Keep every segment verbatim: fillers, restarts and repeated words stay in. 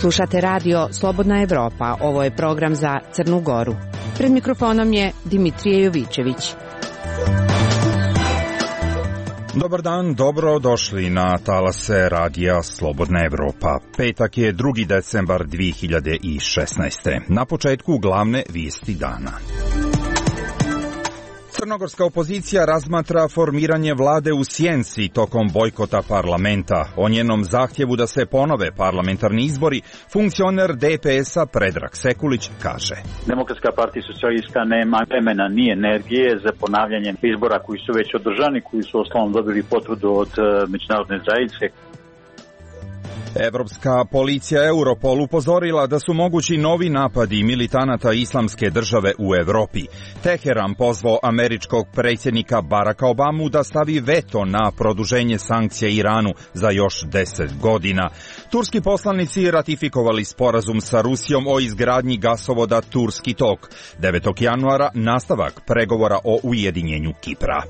Slušate radio Slobodna Evropa, ovo je program za Crnu Goru. Pred mikrofonom je Dimitrije Jovićević. Dobar dan, dobro došli na talase radija Slobodna Evropa. Petak je drugi decembar dve hiljade šesnaeste. Na početku glavne vijesti dana. Crnogorska opozicija razmatra formiranje vlade u sjenci tokom bojkota parlamenta. O njenom zahtjevu da se ponove parlamentarni izbori, funkcioner D P S-a Predrag Sekulić kaže: Demokratska partija socijalista nema vremena ni energije za ponavljanje izbora koji su već održani, koji su osnovom dobili potvrdu od međunarodne zajednice. Evropska policija Europol upozorila da su mogući novi napadi militanata Islamske države u Evropi. Teheran pozvao američkog predsjednika Baracka Obamu da stavi veto na produženje sankcija Iranu za još deset godina. Turski poslanici ratifikovali sporazum sa Rusijom o izgradnji gasovoda Turski tok. devetog januara nastavak pregovora o ujedinjenju Kipra.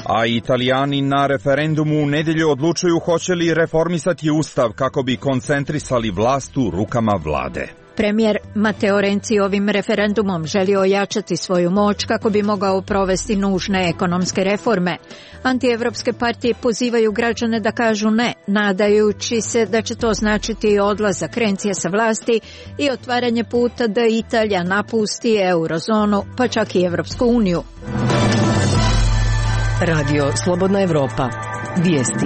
A Italijani na referendumu u nedjelju odlučuju hoće li reformisati ustav kako bi koncentrisali vlast u rukama vlade. Premijer Matteo Renzi ovim referendumom želi ojačati svoju moć kako bi mogao provesti nužne ekonomske reforme. Antievropske partije pozivaju građane da kažu ne, nadajući se da će to značiti odlazak Renzija sa vlasti i otvaranje puta da Italija napusti eurozonu, pa čak i Evropsku uniju. Radio Slobodna Evropa. Vijesti.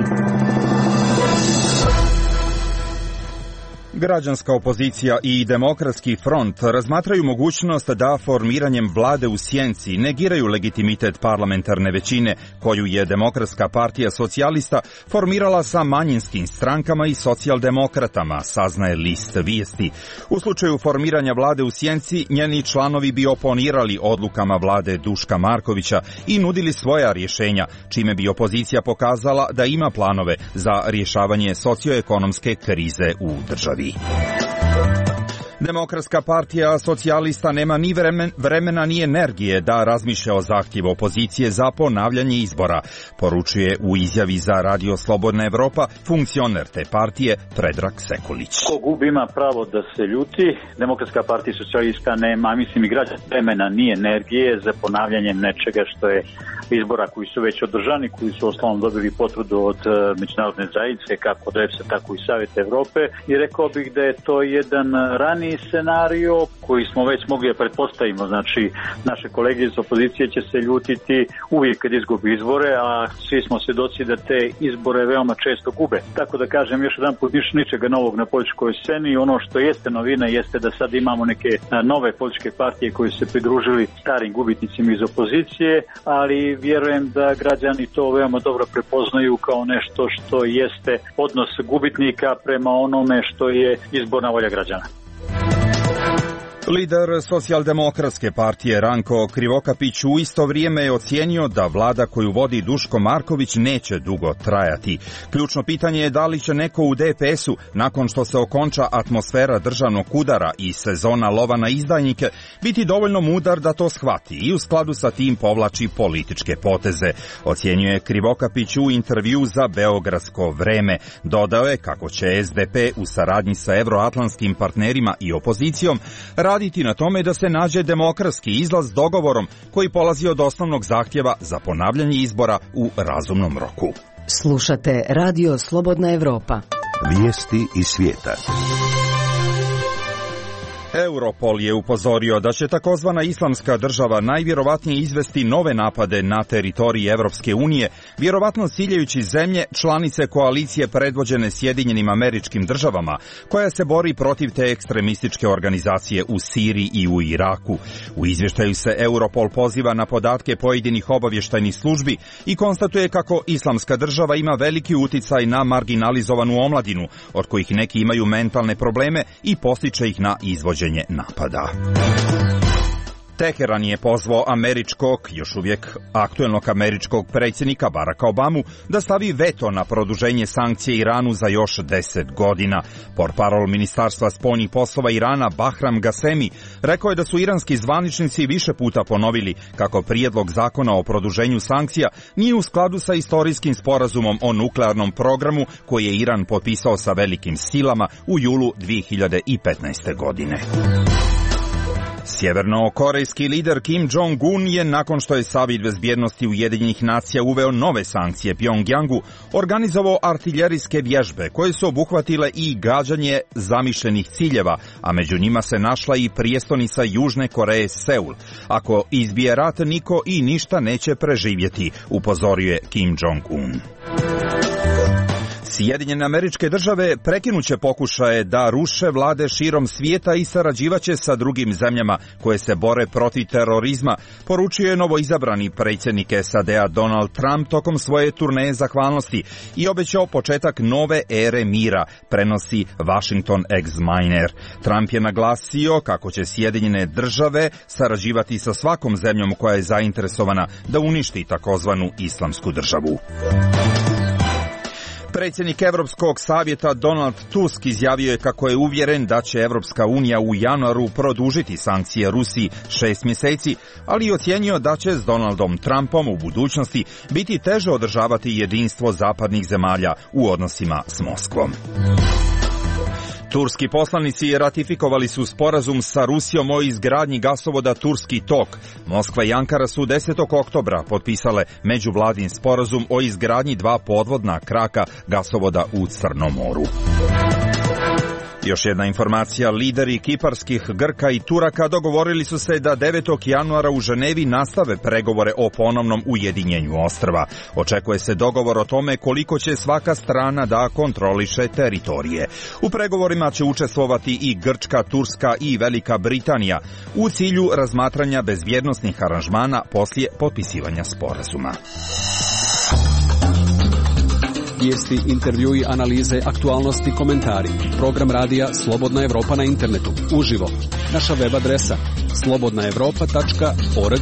Građanska opozicija i Demokratski front razmatraju mogućnost da formiranjem vlade u sjenci negiraju legitimitet parlamentarne većine koju je Demokratska partija socijalista formirala sa manjinskim strankama i socijaldemokratama, saznaje list vijesti. U slučaju formiranja vlade u sjenci, njeni članovi bi oponirali odlukama vlade Duška Markovića i nudili svoja rješenja, čime bi opozicija pokazala da ima planove za rješavanje socioekonomske krize u državi. Demokratska partija socijalista nema ni vremen, vremena ni energije da razmišlja o zahtjevu opozicije za ponavljanje izbora, poručuje u izjavi za Radio Slobodna Evropa funkcioner te partije Predrag Sekulić. Ko gubi ima pravo da se ljuti. Demokratska partija socijalista nema, mislim i građana, vremena ni energije za ponavljanje nečega što je izbora koji su već održani, koji su osnovom dobili potvrdu od međunarodne zajednice, kako od E F S A, tako i Savjeta Evrope. I rekao bih da je to jedan rani scenario koji smo već mogli da pretpostavimo. Znači, naše kolege iz opozicije će se ljutiti uvijek kad izgubi izbore, a svi smo svjedoci da te izbore veoma često gube. Tako da kažem još jedan put, niš, ničega novog na političkoj sceni. Ono što jeste novina jeste da sad imamo neke nove političke partije koji su se pridružili starim gubitnicima iz opozicije, ali vjerujem da građani to veoma dobro prepoznaju kao nešto što jeste odnos gubitnika prema onome što je izborna volja građana. Lider socijaldemokratske partije Ranko Krivokapić u isto vrijeme je ocijenio da vlada koju vodi Duško Marković neće dugo trajati. Ključno pitanje je da li će neko u D P S-u, nakon što se okonča atmosfera državnog udara i sezona lova na izdajnike, biti dovoljno mudar da to shvati i u skladu sa tim povlači političke poteze, ocjenjuje Krivokapić u intervju za Beogradsko vreme. Dodao je kako će S D P u saradnji sa evroatlantskim partnerima i opozicijom raditi na tome da se nađe demokratski izlaz dogovorom koji polazi od osnovnog zahtjeva za ponavljanje izbora u razumnom roku. Slušate Radio Slobodna Evropa. Vijesti iz svijeta. Europol je upozorio da će takozvana Islamska država najvjerovatnije izvesti nove napade na teritoriji Evropske unije, vjerovatno ciljajući zemlje članice koalicije predvođene Sjedinjenim Američkim Državama, koja se bori protiv te ekstremističke organizacije u Siriji i u Iraku. U izvještaju se Europol poziva na podatke pojedinih obavještajnih službi i konstatuje kako Islamska država ima veliki uticaj na marginalizovanu omladinu, od kojih neki imaju mentalne probleme i postiče ih na izvođenje napada. Teheran je pozvao američkog, još uvijek aktuelnog američkog predsjednika Baracka Obamu da stavi veto na produženje sankcije Iranu za još deset godina. Portparol Ministarstva spoljnih poslova Irana Bahram Gasemi rekao je da su iranski zvaničnici više puta ponovili kako prijedlog zakona o produženju sankcija nije u skladu sa istorijskim sporazumom o nuklearnom programu koji je Iran potpisao sa velikim silama u julu dvije hiljade petnaeste. godine. Sjevernokorejski lider Kim Jong-un je, nakon što je Savjet bezbjednosti Ujedinjenih nacija uveo nove sankcije Pjongjangu, organizovao artiljerijske vježbe koje su obuhvatile i gađanje zamišljenih ciljeva, a među njima se našla i prijestolnica Južne Koreje Seul. Ako izbije rat, niko i ništa neće preživjeti, upozorio je Kim Jong-un. Sjedinjene Američke Države prekinuće pokušaje da ruše vlade širom svijeta i sarađivaće sa drugim zemljama koje se bore protiv terorizma, poručio je novoizabrani predsjednik S A D-a Donald Trump tokom svoje turneje zahvalnosti i obećao početak nove ere mira, prenosi Washington Examiner. Trump je naglasio kako će Sjedinjene Države sarađivati sa svakom zemljom koja je zainteresovana da uništi takozvanu islamsku državu. Predsjednik Europskog savjeta Donald Tusk izjavio je kako je uvjeren da će Europska unija u januaru produžiti sankcije Rusiji šest mjeseci, ali i ocjenio da će s Donaldom Trumpom u budućnosti biti teže održavati jedinstvo zapadnih zemalja u odnosima s Moskvom. Turski poslanici ratifikovali su sporazum sa Rusijom o izgradnji gasovoda Turski tok. Moskva i Ankara su desetog oktobra potpisale međuvladin sporazum o izgradnji dva podvodna kraka gasovoda u Crnom moru. Još jedna informacija, lideri kiparskih Grka i Turaka dogovorili su se da devetog januara u Ženevi nastave pregovore o ponovnom ujedinjenju ostrva. Očekuje se dogovor o tome koliko će svaka strana da kontroliše teritorije. U pregovorima će učestvovati i Grčka, Turska i Velika Britanija u cilju razmatranja bezbjednosnih aranžmana poslije potpisivanja sporazuma. Vijesti, intervjui, analize, aktualnosti, komentari. Program radija Slobodna Evropa na internetu. Uživo. Naša web adresa slobodna evropa tačka org.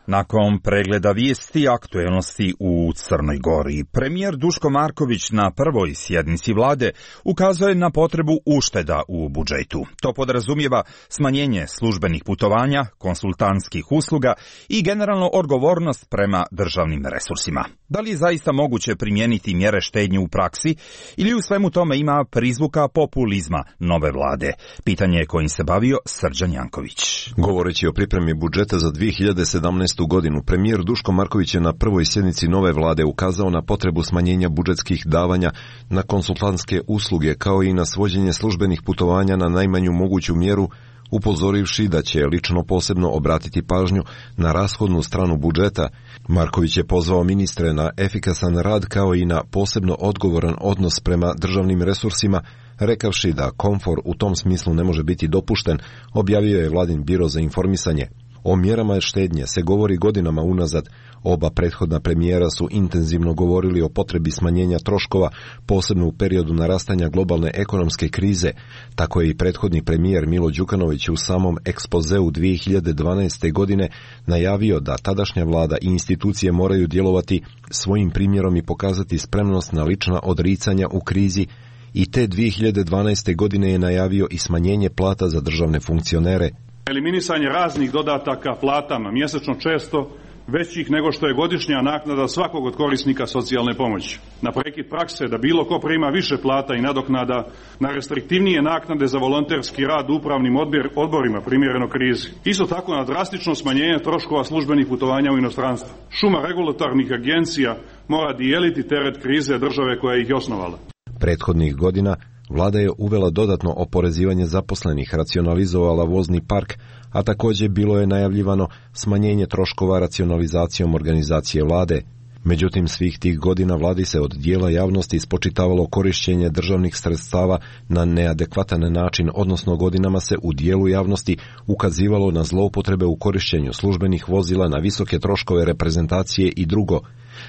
Nakon pregleda vijesti aktuelnosti u Crnoj Gori, premijer Duško Marković na prvoj sjednici vlade ukazuje na potrebu ušteda u budžetu. To podrazumijeva smanjenje službenih putovanja, konsultantskih usluga i generalno odgovornost prema državnim resursima. Da li je zaista moguće primijeniti mjere štednje u praksi ili u svemu tome ima prizvuka populizma nove vlade? Pitanje je kojim se bavio Srđan Janković. Govoreći o pripremi budžeta za dvije hiljade sedamnaestu. godinu, premijer Duško Marković je na prvoj sjednici nove vlade ukazao na potrebu smanjenja budžetskih davanja na konsultantske usluge kao i na svođenje službenih putovanja na najmanju moguću mjeru, upozorivši da će lično posebno obratiti pažnju na rashodnu stranu budžeta. Marković je pozvao ministre na efikasan rad kao i na posebno odgovoran odnos prema državnim resursima, rekavši da komfor u tom smislu ne može biti dopušten, objavio je vladin biro za informisanje. O mjerama štednje se govori godinama unazad. Oba prethodna premijera su intenzivno govorili o potrebi smanjenja troškova, posebno u periodu narastanja globalne ekonomske krize. Tako je i prethodni premijer Milo Đukanović u samom ekspozeu dvije hiljade dvanaeste. godine najavio da tadašnja vlada i institucije moraju djelovati svojim primjerom i pokazati spremnost na lična odricanja u krizi, i te dvije hiljade dvanaeste. godine je najavio i smanjenje plata za državne funkcionere. Eliminisanje raznih dodataka platama, mjesečno često većih nego što je godišnja naknada svakog od korisnika socijalne pomoći. Na prekid prakse da bilo ko prima više plata i nadoknada, na restriktivnije naknade za volonterski rad u upravnim odborima primjereno krizi. Isto tako na drastično smanjenje troškova službenih putovanja u inostranstvo. Šuma regulatornih agencija mora dijeliti teret krize države koja ih je osnovala. Prethodnih godina vlada je uvela dodatno oporezivanje zaposlenih, racionalizovala vozni park, a također bilo je najavljivano smanjenje troškova racionalizacijom organizacije vlade. Međutim, svih tih godina vladi se od dijela javnosti spočitavalo korištenje državnih sredstava na neadekvatan način, odnosno godinama se u dijelu javnosti ukazivalo na zloupotrebe u korištenju službenih vozila, na visoke troškove reprezentacije i drugo.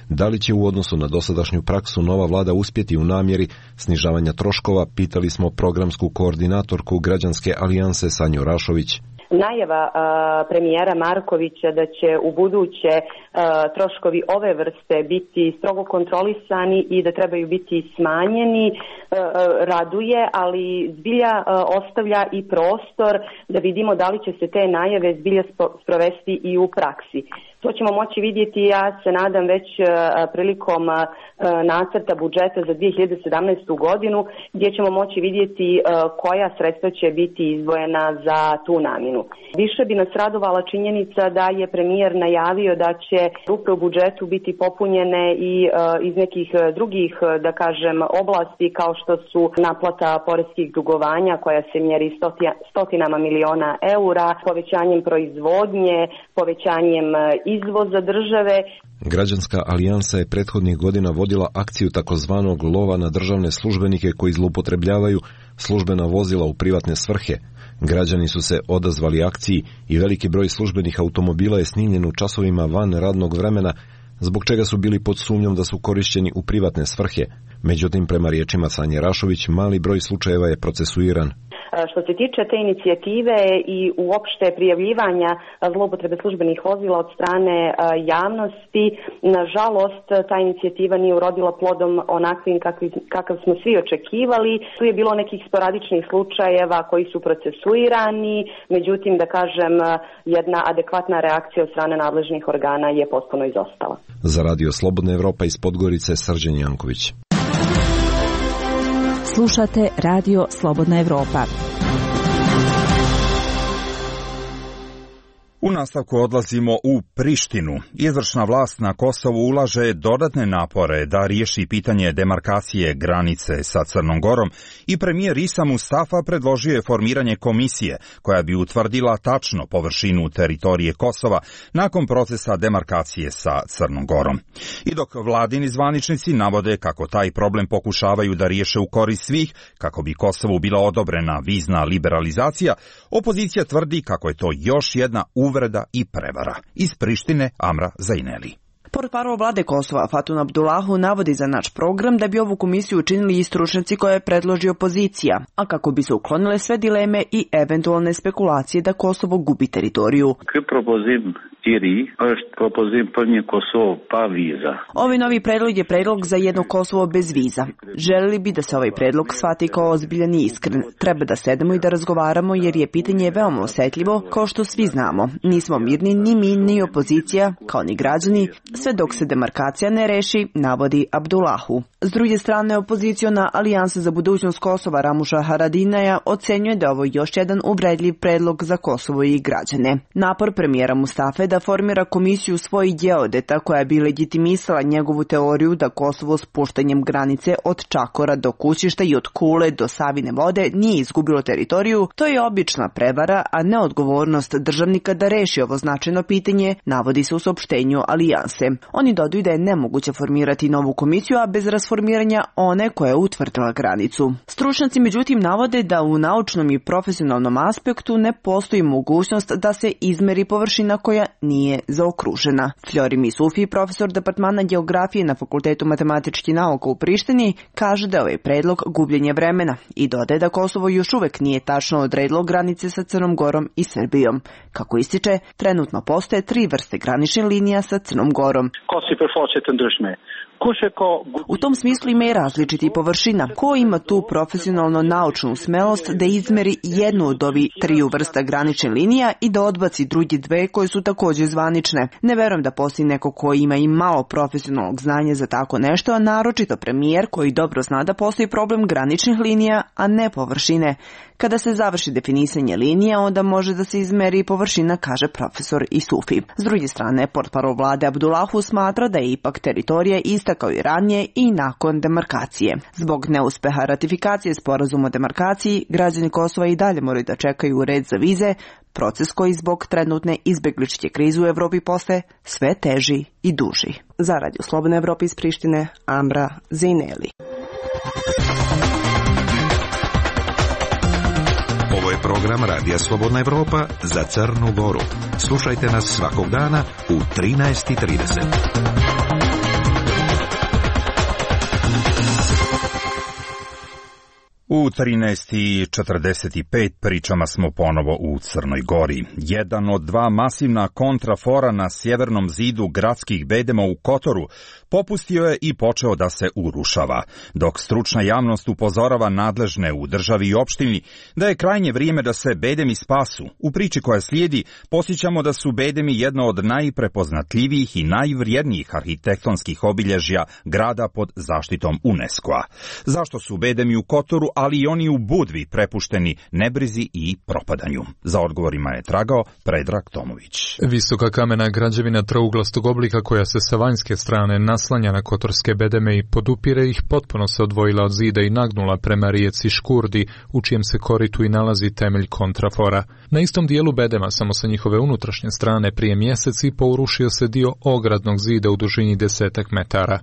Da li će u odnosu na dosadašnju praksu nova vlada uspjeti u namjeri snižavanja troškova, pitali smo programsku koordinatorku Građanske alijanse Sanju Rašović. Najava a, premijera Markovića da će u buduće a, troškovi ove vrste biti strogo kontrolisani i da trebaju biti smanjeni a, raduje, ali zbilja a, ostavlja i prostor da vidimo da li će se te najave zbilja sprovesti i u praksi. To ćemo moći vidjeti, ja se nadam, već a, prilikom a, nacrta budžeta za dvije hiljade sedamnaestu godinu, gdje ćemo moći vidjeti a, koja sredstva će biti izdvojena za tu namjenu. Više bi nas radovala činjenica da je premijer najavio da će rupe u budžetu biti popunjene i a, iz nekih drugih, da kažem, oblasti kao što su naplata poreskih dugovanja koja se mjeri stotinama miliona eura, povećanjem proizvodnje, povećanjem izvoza države. Građanska alijansa je prethodnih godina vodila akciju takozvanog lova na državne službenike koji zloupotrebljavaju službena vozila u privatne svrhe. Građani su se odazvali akciji i veliki broj službenih automobila je snimljen u časovima van radnog vremena, zbog čega su bili pod sumnjom da su korišćeni u privatne svrhe. Međutim, prema riječima Sanje Rašović, mali broj slučajeva je procesuiran. Što se tiče te inicijative i uopšte prijavljivanja zloupotrebe službenih vozila od strane javnosti, nažalost ta inicijativa nije urodila plodom onakvim kakav smo svi očekivali. Tu je bilo nekih sporadičnih slučajeva koji su procesuirani, međutim, da kažem, jedna adekvatna reakcija od strane nadležnih organa je potpuno izostala. Za Radio Slobodna Evropa iz Podgorice, Srđan Janković. Slušate Radio Slobodna Evropa. U nastavku odlazimo u Prištinu. Izvršna vlast na Kosovu ulaže dodatne napore da riješi pitanje demarkacije granice sa Crnom Gorom i premijer Isa Mustafa predložio je formiranje komisije koja bi utvrdila tačno površinu teritorije Kosova nakon procesa demarkacije sa Crnom Gorom. I dok vladini zvaničnici navode kako taj problem pokušavaju da riješe u korist svih, kako bi Kosovu bila odobrena vizna liberalizacija, opozicija tvrdi kako je to još jedna uvreda i prevara. Iz Prištine Amra Zaineli. Portparol vlade Kosova Fatun Abdullahu navodi za naš program da bi ovu komisiju učinili i stručnjaci koje predloži opozicija, a kako bi se uklonile sve dileme i eventualne spekulacije da Kosovo gubi teritoriju. Ovaj novi predlog je predlog za jedno Kosovo bez viza. Želili bi da se ovaj predlog shvati kao ozbiljan i iskren. Treba da sedemo i da razgovaramo jer je pitanje veoma osjetljivo, kao što svi znamo. Nismo mirni ni mi ni opozicija, kao ni građani, sve dok se demarkacija ne reši, navodi Abdullahu. S druge strane, opoziciona Alijansa za budućnost Kosova Ramuša Haradinaja ocenjuje da je ovo još jedan uvredljiv predlog za Kosovo i građane. Napor premijera Mustafe da formira komisiju svojih geodeta koja bi legitimisala njegovu teoriju da Kosovo spuštanjem granice od Čakora do Kućišta i od Kule do Savine vode nije izgubilo teritoriju, to je obična prevara, a ne odgovornost državnika da reši ovo značajno pitanje, navodi se u saopštenju Alijanse. Oni dodaju da je nemoguće formirati novu komisiju, a bez rasformiranja one koja je utvrdila granicu. Stručnjaci međutim navode da u naučnom i profesionalnom aspektu ne postoji mogućnost da se izmeri površina koja nije zaokružena. Flori Misufi, profesor departmana geografije na Fakultetu matematičkih nauka u Prištini, kaže da je ovaj predlog gubljenje vremena i dodaje da Kosovo još uvek nije tačno odredilo granice sa Crnom Gorom i Srbijom. Kako ističe, trenutno postoje tri vrste graničnih linija sa Crnom Gorom. U tom smislu ima i različiti površina. Ko ima tu profesionalno naučnu smelost da izmeri jednu od ovih triju vrsta granične linija i da odbaci drugi dve koje su također zvanične? Ne verujem da postoji neko ko ima i malo profesionalnog znanja za tako nešto, a naročito premijer koji dobro zna da postoji problem graničnih linija, a ne površine. Kada se završi definisanje linija, onda može da se izmeri površina, kaže profesor Isufi. S druge strane, portparol vlade Abdullahu smatra da je ipak teritorija ista kao i ranije i nakon demarkacije. Zbog neuspeha ratifikacije sporazuma o demarkaciji, građani Kosova i dalje moraju da čekaju red za vize, proces koji zbog trenutne izbegličke krize u Evropi postaje sve teži i duži. Za Radio Slobodna Evropa iz Prištine, Amra Zaineli. Ovo je program Radija Slobodna Evropa za Crnu Goru. Slušajte nas svakog dana u trinaest i trideset. U trinaest i četrdeset pet pričama smo ponovo u Crnoj Gori. Jedan od dva masivna kontrafora na sjevernom zidu gradskih bedema u Kotoru popustio je i počeo da se urušava, dok stručna javnost upozorava nadležne u državi i opštini da je krajnje vrijeme da se bedemi spasu. U priči koja slijedi posjećamo da su bedemi jedno od najprepoznatljivijih i najvrijednijih arhitektonskih obilježja grada pod zaštitom UNESCO-a. Zašto su bedemi u Kotoru, ali i oni u Budvi prepušteni nebrizi i propadanju? Za odgovorima je tragao Predrag Tomović. Visoka kamena građevina trouglastog oblika koja se sa vanjske strane naslanja na kotorske bedeme i podupire ih, potpuno se odvojila od zida i nagnula prema rijeci Škurdi, u čijem se koritu i nalazi temelj kontrafora. Na istom dijelu bedema, samo sa njihove unutrašnje strane, prije mjesec i po urušio se dio ogradnog zida u dužini desetak metara.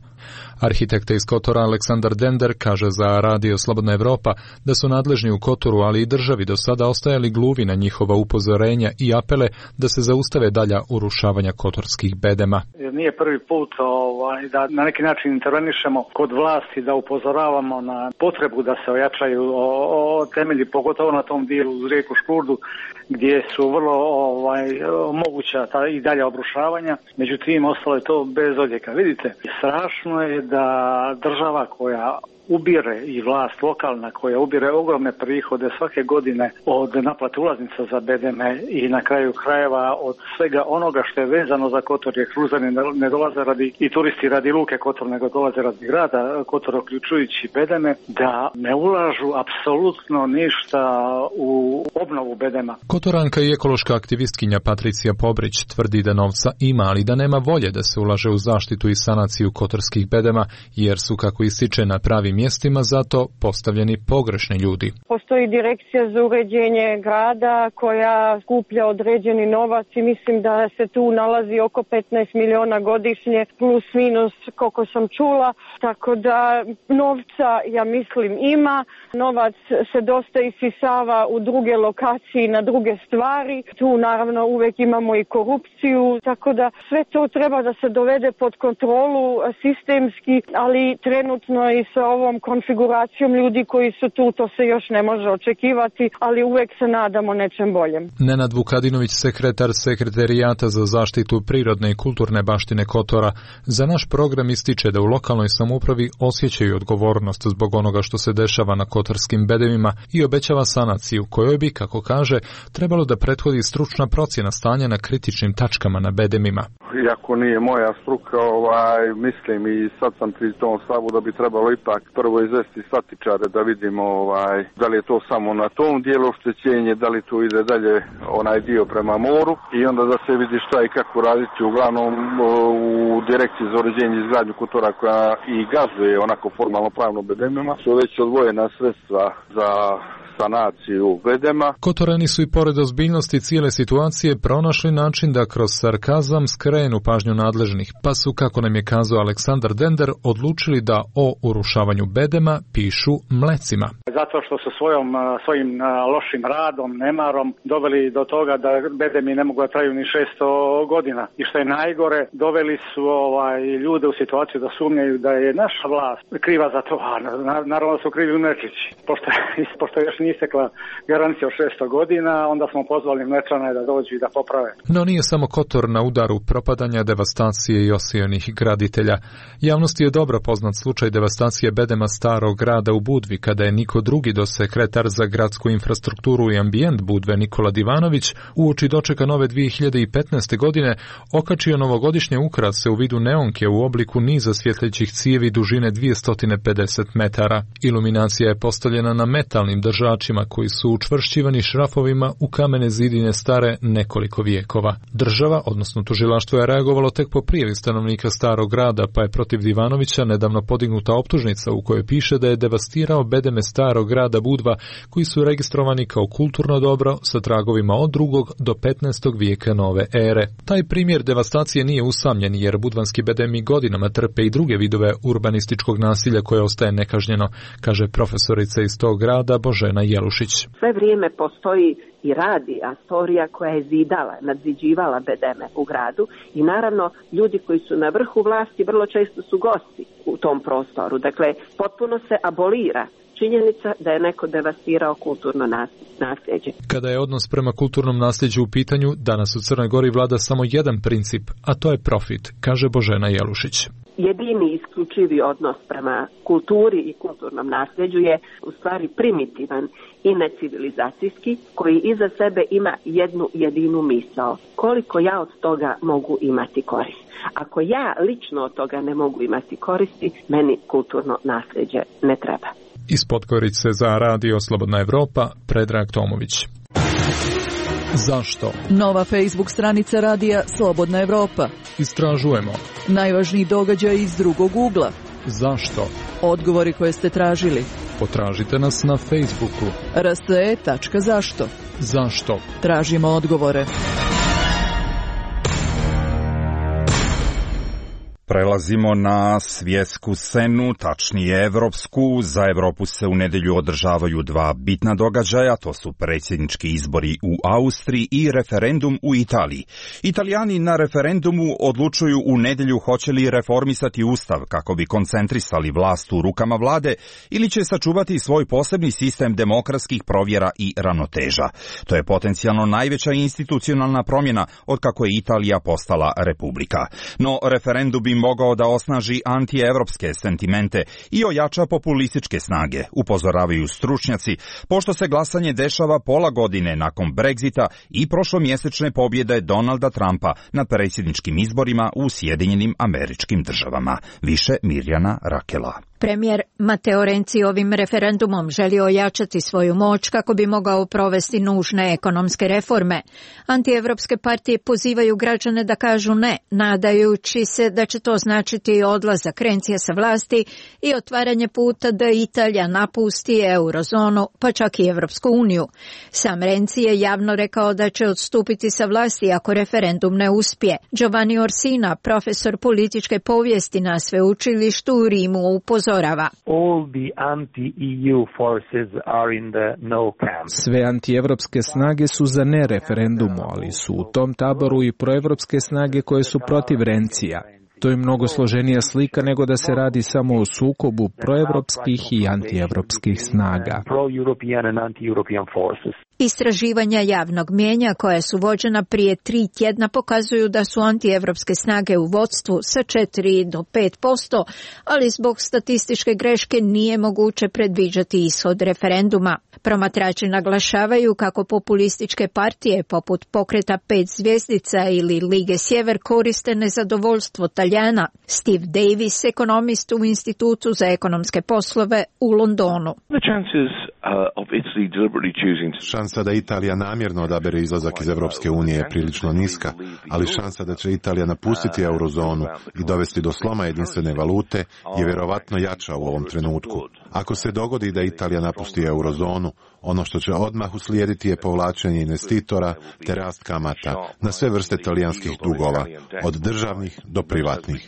Arhitekta iz Kotora Aleksandar Dender kaže za Radio Slobodna Evropa da su nadležni u Kotoru, ali i državi do sada ostajali gluvi na njihova upozorenja i apele da se zaustave dalja urušavanja kotorskih bedema. Nije prvi put ovaj, da na neki način intervenišemo kod vlasti, da upozoravamo na potrebu da se ojačaju o, o temelji, pogotovo na tom dijelu uz rijeku Škurdu, gdje su vrlo ovaj, moguća ta i dalje obrušavanja. Međutim, ostalo je to bez odjeka. Vidite, strašno je da država koja ubire i vlast lokalna koja ubire ogromne prihode svake godine od naplate ulaznica za bedeme i na kraju krajeva od svega onoga što je vezano za Kotor, jer kruzani ne dolaze radi i turisti radi luke Kotor, nego dolaze radi grada Kotor, uključujući bedeme, da ne ulažu apsolutno ništa u obnovu bedema. Kotoranka i ekološka aktivistkinja Patricija Pobrić tvrdi da novca ima, ali da nema volje da se ulaže u zaštitu i sanaciju kotorskih bedema, jer su, kako ističe, na pravi mjestima zato postavljeni pogrešni ljudi. Postoji direkcija za uređenje grada koja skuplja određeni novac i mislim da se tu nalazi oko petnaest miliona godišnje plus minus koliko sam čula, tako da novca ja mislim ima, novac se dosta isisava u druge lokacije, na druge stvari, tu naravno uvijek imamo i korupciju, tako da sve to treba da se dovede pod kontrolu sistemski, ali trenutno i sa ovom konfiguracijom ljudi koji su tu, to se još ne može očekivati, ali uvijek se nadamo nečem boljem. Nenad Vukadinović, sekretar Sekretarijata za zaštitu prirodne i kulturne baštine Kotora, za naš program ističe da u lokalnoj samoupravi osjećaju odgovornost zbog onoga što se dešava na kotorskim bedemima i obećava sanaciju, kojoj bi, kako kaže, trebalo da prethodi stručna procjena stanja na kritičnim tačkama na bedemima. Iako nije moja struka, ovaj, mislim i sad sam pri tom stavu da bi trebalo ipak prvo izvesti statičare da vidimo ovaj, da li je to samo na tom dijelu oštećenje, da li to ide dalje onaj dio prema moru i onda da se vidi šta i kako raditi. Uglavnom u direkciji za uređenje i izgradnju Kotora koja i gazduje onako formalno pravno bedemima su već odvojena sredstva za sanaciju bedema. Kotorani su i pored ozbiljnosti cijele situacije pronašli način da kroz sarkazam skrenu pažnju nadležnih, pa su, kako nam je kazao Aleksandar Dender, odlučili da o urušavanju bedema pišu mlecima. Zato što su svojom, svojim lošim radom, nemarom doveli do toga da bedemi ne mogu da traju ni šesto godina. I što je najgore, doveli su ovaj, ljude u situaciju da sumnjaju da je naša vlast kriva za to. A naravno da su krivi u Mlečnici. Pošto, pošto još nije istekla garancija od šesto godina, onda smo pozvali Mlečane da dođu i da poprave. No nije samo Kotor na udaru propadanja, devastacije i osijonih graditelja. Javnosti je dobro poznat slučaj devastacije bedema starog grada u Budvi, kada je niko drugi do sekretar za gradsku infrastrukturu i ambijent Budve Nikola Divanović uoči dočeka nove dvije hiljade petnaeste. godine okačio novogodišnje ukrase u vidu neonke u obliku niza svjetlećih cijevi dužine dvjesto pedeset metara. Iluminacija je postavljena na metalnim držačima koji su učvršćivani šrafovima u kamene zidine stare nekoliko vijekova. Država, odnosno tužilaštvo, je reagovalo tek po prijavi stanovnika starog grada, pa je protiv Divanovića nedavno podignuta optužnica u kojoj piše da je devastirao bedeme starog grada Budva koji su registrovani kao kulturno dobro sa tragovima od drugog do petnaestog vijeka nove ere. Taj primjer devastacije nije usamljen jer budvanski bedemi godinama trpe i druge vidove urbanističkog nasilja koje ostaje nekažnjeno, kaže profesorica iz tog grada Božena Jelušić. Sve vrijeme postoji i radi Astorija koja je zidala, nadziđivala bedeme u gradu i naravno ljudi koji su na vrhu vlasti vrlo često su gosti u tom prostoru. Dakle, potpuno se abolira činjenica da je neko devastirao kulturno nasljeđe. Kada je odnos prema kulturnom nasljeđu u pitanju, danas u Crnoj Gori vlada samo jedan princip, a to je profit, kaže Božena Jelušić. Jedini isključivi odnos prema kulturi i kulturnom nasljeđu je u stvari primitivan i necivilizacijski, koji iza sebe ima jednu jedinu misao. Koliko ja od toga mogu imati korist? Ako ja lično od toga ne mogu imati koristi, meni kulturno nasljeđe ne treba. Iz Podgorice za Radio Slobodna Evropa, Predrag Tomović. Zašto? Nova Facebook stranica Radija Slobodna Evropa. Istražujemo. Najvažniji događaj iz drugog ugla. Zašto? Odgovori koje ste tražili. Potražite nas na Facebooku. r s e tačka zašto. Zašto? Tražimo odgovore. Prelazimo na svjetsku scenu, tačnije evropsku. Za Evropu se u nedjelju održavaju dva bitna događaja, to su predsjednički izbori u Austriji i referendum u Italiji. Italijani na referendumu odlučuju u nedjelju hoće li reformisati ustav kako bi koncentrisali vlast u rukama vlade ili će sačuvati svoj posebni sistem demokratskih provjera i ravnoteža. To je potencijalno najveća institucionalna promjena od kako je Italija postala republika. No referendum bi mogao da osnaži antievropske sentimente i ojača populističke snage, upozoravaju stručnjaci, pošto se glasanje dešava pola godine nakon Brexita i prošlomjesečne pobjede Donalda Trumpa na predsjedničkim izborima u Sjedinjenim Američkim Državama. Više Mirjana Rakela. Premijer Matteo Renzi ovim referendumom želi ojačati svoju moć kako bi mogao provesti nužne ekonomske reforme. Antievropske partije pozivaju građane da kažu ne, nadajući se da će to značiti odlazak Renzija sa vlasti i otvaranje puta da Italija napusti eurozonu, pa čak i Evropsku uniju. Sam Renzi je javno rekao da će odstupiti sa vlasti ako referendum ne uspije. Giovanni Orsina, profesor političke povijesti na sveučilištu u Rimu, upozorava. Sve antievropske snage su za ne referendumu, ali su u tom taboru i proevropske snage koje su protiv Renzija. To je mnogo složenija slika nego da se radi samo o sukobu proevropskih i antievropskih snaga. Istraživanja javnog mijenja koja su vođena prije tri tjedna pokazuju da su antievropske snage u vodstvu sa četiri do pet posto, ali zbog statističke greške nije moguće predviđati ishod referenduma. Promatrači naglašavaju kako populističke partije poput Pokreta pet zvjezdica ili Lige Sjever koriste nezadovoljstvo Talijana. Steve Davis, ekonomist u Institutu za ekonomske poslove u Londonu. Šansa da Italija namjerno odabere izlazak iz Evropske unije je prilično niska, ali šansa da će Italija napustiti eurozonu i dovesti do sloma jedinstvene valute je vjerovatno jača u ovom trenutku. Ako se dogodi da Italija napusti eurozonu, ono što će odmah uslijediti je povlačenje investitora te rast kamata na sve vrste talijanskih dugova, od državnih do privatnih.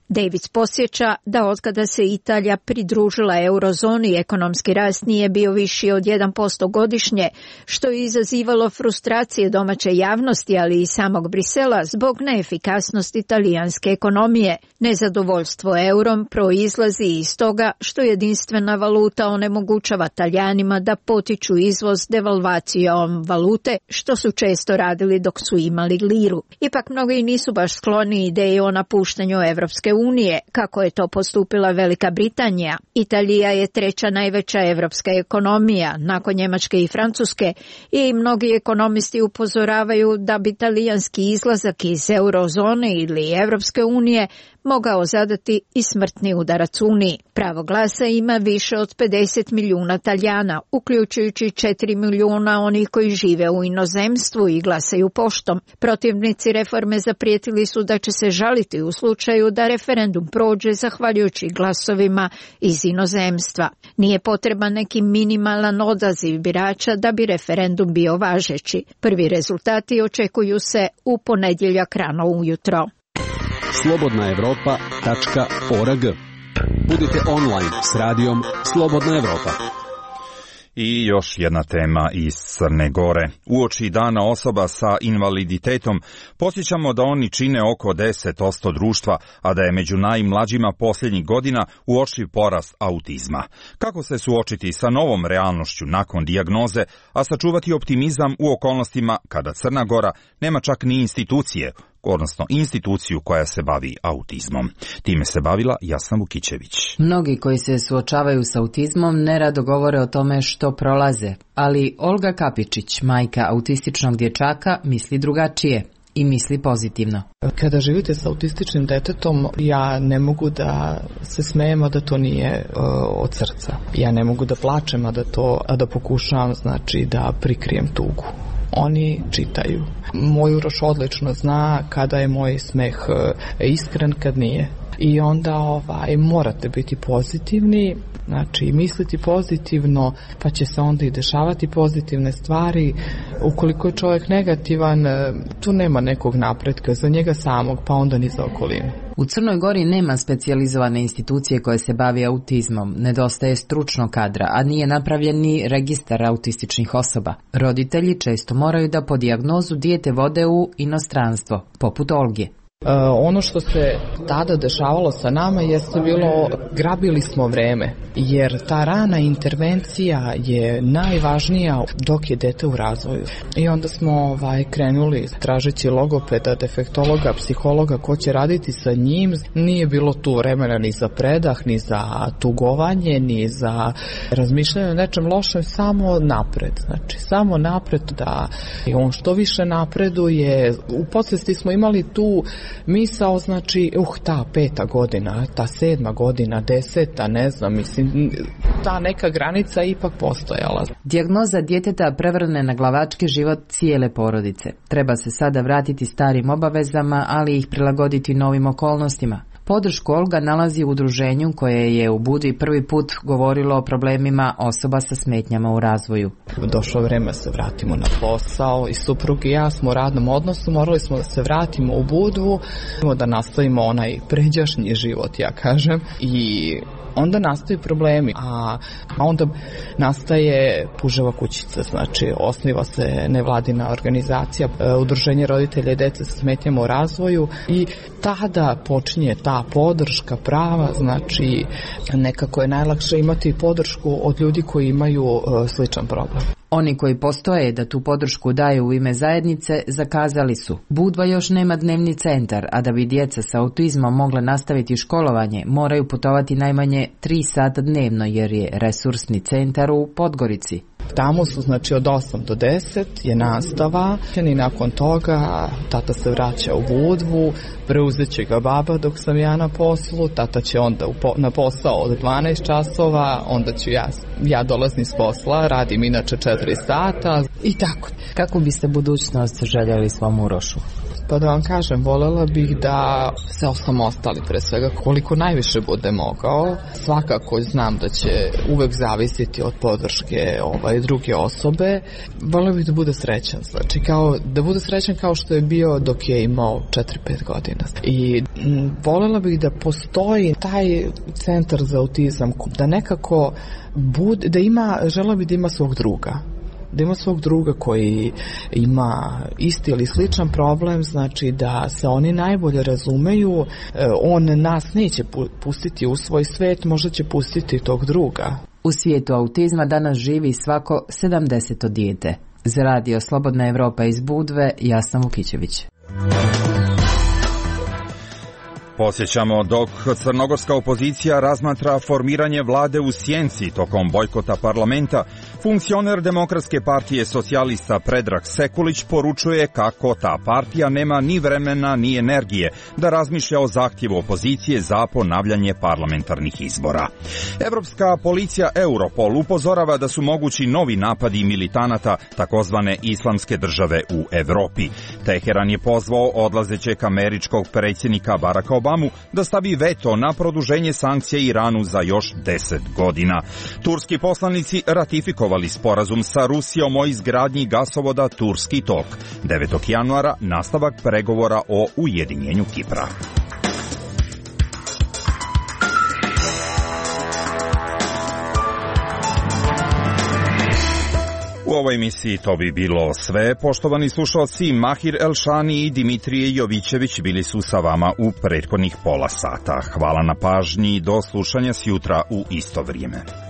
Davids posjeća da otkada se Italija pridružila eurozoni, ekonomski rast nije bio viši od jedan posto godišnje, što je izazivalo frustracije domaće javnosti, ali i samog Brisela zbog neefikasnosti talijanske ekonomije. Nezadovoljstvo eurom proizlazi iz toga što jedinstvena valuta onemogućava Talijanima da potiču izvoz devalvacijom valute, što su često radili dok su imali liru. Ipak mnogi nisu baš skloni ideji o napuštanju Evropske unije, kako je to postupila Velika Britanija. Italija je treća najveća evropska ekonomija, nakon Njemačke i Francuske, i mnogi ekonomisti upozoravaju da bi talijanski izlazak iz eurozone ili Evropske unije mogao zadati i smrtni udarac Uniji. Pravo glasa ima više od pedeset milijuna Talijana, uključujući četiri milijuna onih koji žive u inozemstvu i glasaju poštom. Protivnici reforme zaprijetili su da će se žaliti u slučaju da referendum prođe zahvaljujući glasovima iz inozemstva. Nije potreban neki minimalan odaziv birača da bi referendum bio važeći. Prvi rezultati očekuju se u ponedjeljak rano ujutro. slobodna evropa tačka org. Budite online s radijom Slobodna Evropa. I još jedna tema iz Crne Gore. Uoči dana osoba sa invaliditetom podsjećamo da oni čine oko deset posto društva, a da je među najmlađima posljednjih godina uočljiv porast autizma. Kako se suočiti sa novom realnošću nakon dijagnoze, a sačuvati optimizam u okolnostima kada Crna Gora nema čak ni institucije, odnosno instituciju koja se bavi autizmom. Time se bavila Jasna Vukićević. Mnogi koji se suočavaju s autizmom nerado govore o tome što prolaze, ali Olga Kapičić, majka autističnog dječaka, misli drugačije i misli pozitivno. Kada živite s autističnim detetom, ja ne mogu da se smejem, a da to nije uh, od srca. Ja ne mogu da plačem, a da to, a da pokušavam, znači, da prikrijem tugu. Oni čitaju. Moj Uroš odlično zna kada je moj smeh iskren, kad nije. I onda ovaj, morate biti pozitivni, znači misliti pozitivno, pa će se onda i dešavati pozitivne stvari. Ukoliko je čovjek negativan, tu nema nekog napretka za njega samog, pa onda ni za okolinu. U Crnoj Gori nema specijalizovane institucije koje se bavi autizmom, nedostaje stručnog kadra, a nije napravljen ni registar autističnih osoba. Roditelji često moraju da po dijagnozu dijete vode u inostranstvo, poput Olge. Uh, ono što se tada dešavalo sa nama jeste bilo, grabili smo vreme, jer ta rana intervencija je najvažnija dok je dete u razvoju. I onda smo ovaj, krenuli tražeći logopeda, defektologa, psihologa, ko će raditi sa njim. Nije bilo tu vremena ni za predah, ni za tugovanje, ni za razmišljanje o nečem lošem, samo napred. Znači, samo napred, da on što više napreduje. U podsvesti smo imali tu misao, znači, uh, ta peta godina, ta sedma godina, deseta, ne znam, mislim, ta neka granica ipak postojala. Dijagnoza djeteta prevrne na glavački život cijele porodice. Treba se sada vratiti starim obavezama, ali ih prilagoditi novim okolnostima. Podršku Olga nalazi u udruženju koje je u Budvi prvi put govorilo o problemima osoba sa smetnjama u razvoju. Došlo vreme se vratimo na posao i suprug i ja smo u radnom odnosu, morali smo da se vratimo u Budvu, da nastavimo onaj pređašnji život, ja kažem, i onda nastaju problemi, a onda nastaje Puževa kućica, znači osniva se nevladina organizacija, udruženje roditelja i dece sa smetnjama u razvoju i tada počinje ta podrška prava, znači nekako je najlakše imati podršku od ljudi koji imaju sličan problem. Oni koji postoje da tu podršku daju u ime zajednice zakazali su. Budva još nema dnevni centar, a da bi djeca sa autizmom mogla nastaviti školovanje, moraju putovati najmanje tri sata dnevno jer je resursni centar u Podgorici. Tamo su, znači, od osam do deset je nastava i nakon toga tata se vraća u Budvu, preuzet će ga baba dok sam ja na poslu, tata će onda na posao od dvanaest časova, onda ću ja, ja dolazim s posla, radim inače četiri sata i tako. Kako biste budućnost željeli svom Urošu? Pa da vam kažem, voljela bih da se osamostali pre svega koliko najviše bude mogao. Svakako znam da će uvek zavisiti od podrške ovaj, druge osobe. Voljela bih da bude srećan, znači kao, da bude srećan kao što je bio dok je imao četiri pet godina. I voljela bih da postoji taj centar za autizam, da nekako bude, da ima, želela bih da ima svog druga. Da ima svog druga koji ima isti ili sličan problem, znači da se oni najbolje razumeju, on nas neće pustiti u svoj svet, možda će pustiti tog druga. U svijetu autizma danas živi svako sedamdeseto dijete. Za radio Slobodna Evropa iz Budve, Jasna Vukićević. Posjećamo, dok crnogorska opozicija razmatra formiranje vlade u sjenci tokom bojkota parlamenta, funkcioner Demokratske partije socijalista Predrag Sekulić poručuje kako ta partija nema ni vremena ni energije da razmišlja o zahtjevu opozicije za ponavljanje parlamentarnih izbora. Evropska policija Europol upozorava da su mogući novi napadi militanata takozvane islamske države u Evropi. Teheran je pozvao odlazećeg američkog predsjednika Baracka Obama da stavi veto na produženje sankcija Iranu za još deset godina. Turski poslanici ratifikovali sporazum sa Rusijom o izgradnji gasovoda Turski tok. devetog januara nastavak pregovora o ujedinjenju Kipra. ovoj emisiji to bi bilo sve. Poštovani slušalci, Mahir Elšani i Dimitrije Jovićević bili su sa vama u prethodnih pola sata. Hvala na pažnji, do slušanja sjutra u isto vrijeme.